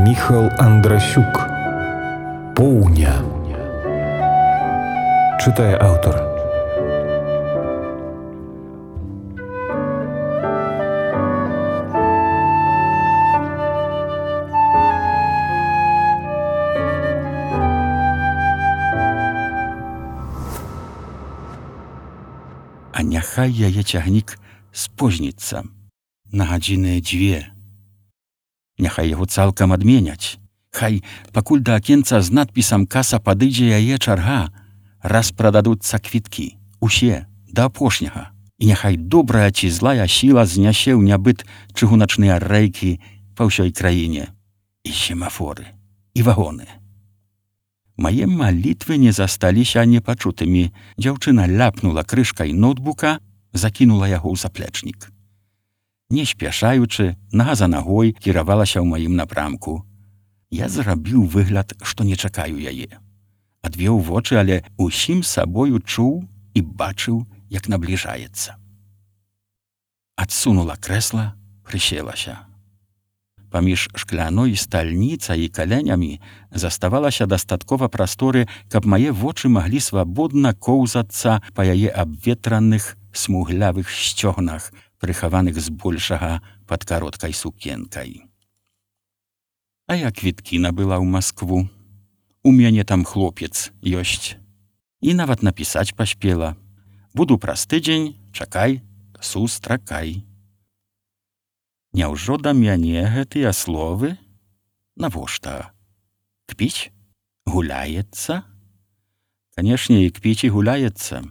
Міхал Андрасюк. Поўня. Чытае аўтар. А няхай яе цягнік спозніцца на гадзіны 2. Няхай яго цалкам адменяць. Хай, пакуль да акенца з надпісам «Каса» падыдзе яе чарга, распрададуцца квіткі, усе, да апошняга. І няхай добрая ці злая сіла знясе ў нябыт чыгуначныя рэйкі па ўсёй краіне. І семафоры, і вагоны. Мае малітвы не засталіся непачутымі. Дзяўчына ляпнула крышкай ноутбука, закінула яго ў заплечнік. Не спяшаючы, нага за нагой кіравалася ў маім напрамку. Я зрабіў выгляд, што не чакаю яе. Адвёў вочы, але усім сабою чуў і бачыў, як набліжаецца. Адсунула крэсла, прыселася. Паміж шкляной стальніцай і каленямі заставалася дастаткова прасторы, каб мае вочы маглі свабодна коўзацца па яе абветраных, смуглявых сцёгнах, прыхаваных збольшага пад кароткай сукенкай. А я квіткі набыла ў Маскву. У мяне там хлопец ёсць. І нават напісаць паспела. Буду праз тыдзень, чакай, сустракай. Няўжо да мяне гэтыя словы? Навошта? Кпіць? Гуляецца? Канешне, і кпіць і гуляецца.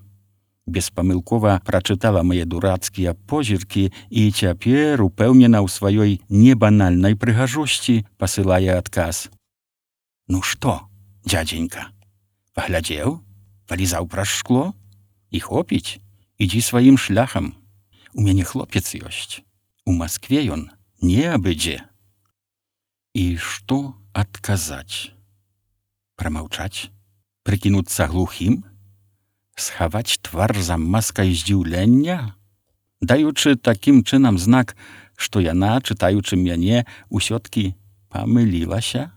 Беспамылкова прачытала мае дурацкія позіркі і цяпер, упэўнена ў сваёй небанальнай прыгажосці, пасылае адказ. Ну што, дзядзенька, паглядзеў? Палізаў праз шкло? І хопіць? Ідзі сваім шляхам. У мяне хлопец ёсць. У Маскве ён не абыдзе. І што адказаць? Прамаўчаць? Прыкінуцца глухім? Схаваць твар за маскай здзіўлення? Даючы такім чынам знак, што яна, чытаючы мяне, усё-ткі памылілася?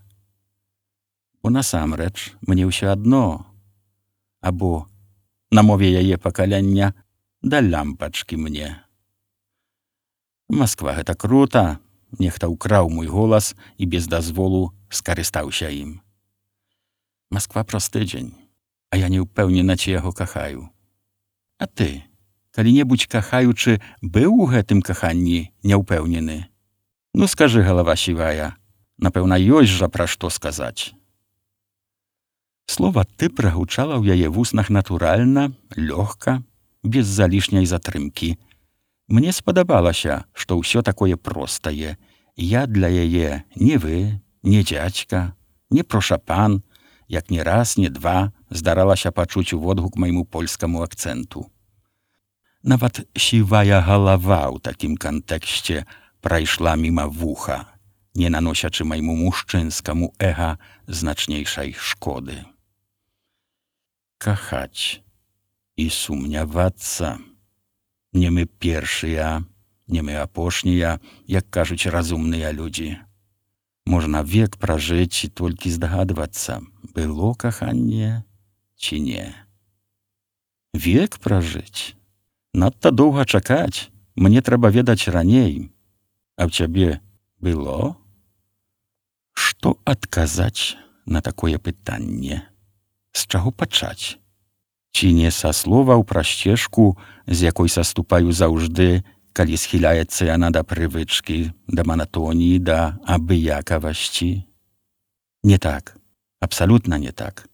Бо насамрэч мне ўсё адно. Або, на мове яе пакалення, да лямпачкі мне. Масква, гэта крута. Нехта ўкраў мой голас і без дазволу скарыстаўся ім. Масква праз тыдзень. А я не ўпэўнена, ці яго кахаю. А ты, калі-небудзь кахаючы, быў у гэтым каханні няўпэўнены? Ну, скажы, галава сівая, напэўна, ёсць жа пра што сказаць. Слова «ты» прагучала ў яе вуснах натуральна, лёгка, без залішняй затрымкі. Мне спадабалася, што ўсё такое простае. Я для яе не вы, не дзядзька, не прошапан, як ні раз, ні два здаралася пачуць уводгук майму польскаму акцэнту. Нават сівая галава ў такім кантэксце прайшла міма вуха, не наносячы майму мужчынскаму эга значнейшай шкоды. Кахаць і сумнявацца. Не мы першыя, не мы апошнія, як кажуць разумныя людзі. Можна век пражыць і толькі здагадвацца, было каханне ці не. Век пражыць? Надта доўга чакаць, мне трэба ведаць раней. А ў цябе было? Што адказаць на такое пытанне? З чаго пачаць? Ці не са словаў пра сцежку, з якой саступаю заўжды, калі схіляецца яна да прывычкі, да манатоніі, да абыякавасці? Не так, абсалютна не так,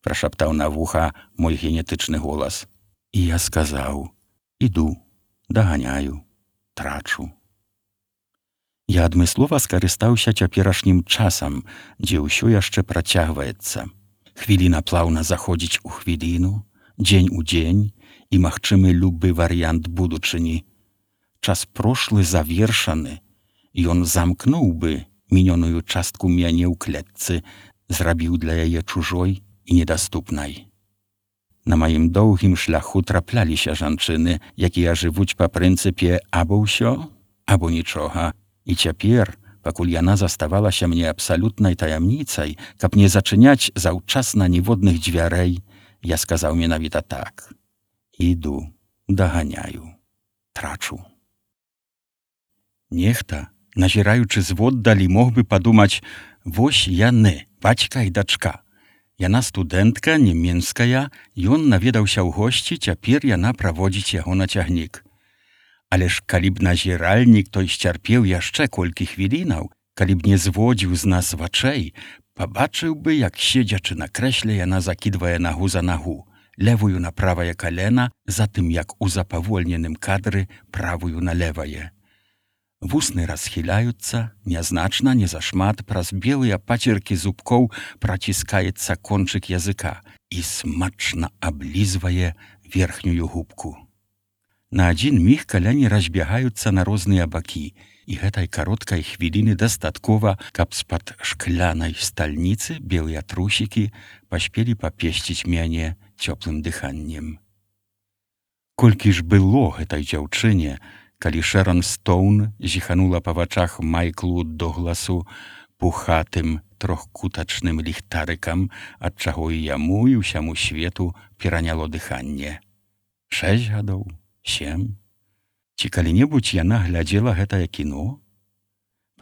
прашаптаў на вуха мой генетычны голас. І я сказаў: іду, даганяю, трачу. Я адмыслова скарыстаўся цяперашнім часам, дзе ўсё яшчэ працягваецца. Хвіліна плаўна заходзіць у хвіліну, дзень у дзень і магчымы любы варыянт будучыні. Час прошлы завершаны, ён замкнуў бы мінёную частку мяне ў клетцы, зрабіў для яе чужой і недаступнай. На маім доўгім шляху трапляліся жанчыны, якія жывуць па прынцыпе або ўсё, або нічога. І цяпер, пакуль яна заставалася мне абсалютнай таямніцай, каб не зачыняць заўчасна ніводных дзвярэй, я сказаў менавіта так: іду, даганяю, трачу. Нехта, назіраючы зводдалі, мог бы падумаць: вось яны, бацька і дачка. Яна студэнтка, нямецкая, ён наведаўся ў госці, цяпер яна праводзіць яго на цягнік. Але ж калі б назіральнік той сцярпеў яшчэ колькі хвілінаў, калі б не зводзіў з нас вачэй, пабачыў бы, як седзячы на крэсле яна закідвае нагу за нагу, левую на правае калена, затым як у запавольненым кадры правую на левае. Вусны расхіляюцца, нязначна, не зашмат, праз белыя пацеркі зубкоў праціскаецца кончык языка і смачна аблізвае верхнюю губку. На адзін міг каляні разбягаюцца на розныя бакі, і гэтай кароткай хвіліны дастаткова, каб з-пад шклянай стальніцы белыя трусікі паспелі папесціць мяне цёплым дыханнем. Колькі ж было гэтай дзяўчыне, калі Шэрон Стоун зіханула па вачах Майклу Догласу пухатым трохкутачным ліхтарыкам, ад чаго і яму, і ўсяму свету пераняло дыханне. 6 гадоў, 7. Ці калі-небудзь яна глядзела гэтае кіно?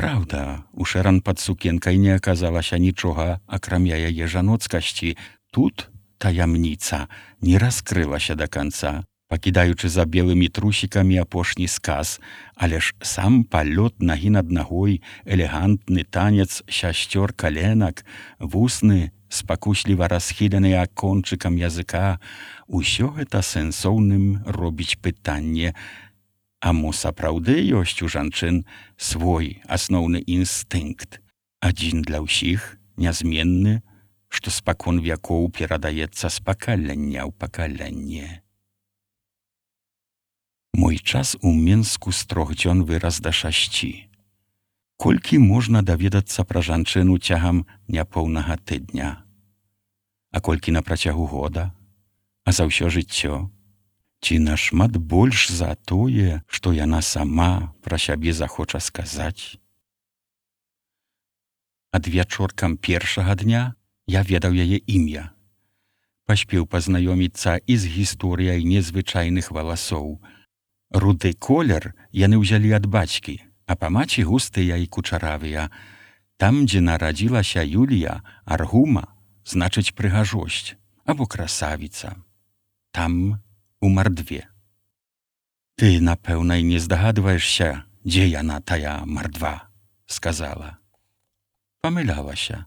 Праўда, у Шэрон пад сукенкай не аказалася нічога, акрамя яе жаноцкасці. Тут таямніца не раскрылася да канца, пакідаючы за белымі трусікамі апошні сказ, але ж сам палёт нагі над нагой, элегантны танец шасцёр каленак, вусны, спакусліва расхіленыя кончыкам языка, усё гэта сэнсоўным робіць пытанне: а мо сапраўды ёсць у жанчын свой асноўны інстынкт, адзін для ўсіх, нязменны, што спакон вякоў перадаецца з пакалення ў пакаленне. Мой час у Менску з 3 дзён вырас да 6. Колькі можна даведацца пра жанчыну цягам няпоўнага тыдня? А колькі на працягу года? А за ўсё жыццё? Ці нашмат больш за тое, што яна сама пра сябе захоча сказаць? Ад вячоркам першага дня я ведаў яе імя. Паспеў пазнаёміцца і з гісторыяй незвычайных валасоў. Руды колер яны ўзялі ад бацькі, а па маці густыя і кучаравыя. Там, дзе нарадзілася Юлія, аргума, значыць прыгажосць, або красавіца. Там, у мардве. Ты, напэўна, і не здагадваешся, дзе яна, тая мардва, сказала. Памылялася.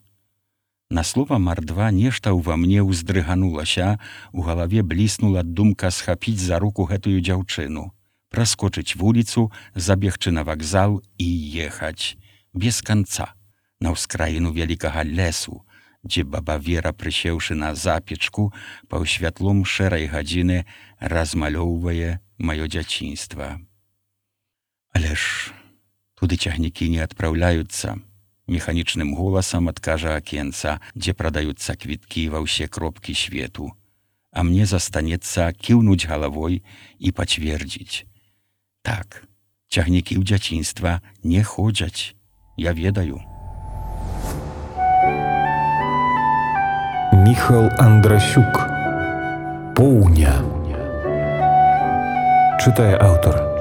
На слова мардва нешта ўва мне ўздрыганулася, у галаве бліснула думка схапіць за руку гэтую дзяўчыну, праскочыць вуліцу, забегчы на вакзал і ехаць, без канца, на ўскраіну вялікага лесу, дзе баба Вера, прысеўшы на запечку, паўсвятлом шэрай гадзіны размалёўвае маё дзяцінства. Але ж туды цягнікі не адпраўляюцца, механічным голасам адкажа акенца, дзе прадаюцца квіткі ва ўсе кропкі свету, а мне застанецца кіўнуць галавой і пацвердзіць: так, цягнікі ў дзяцінства не ходзяць, я ведаю. Міхал Андрасюк. Поўня. Чытае аўтар.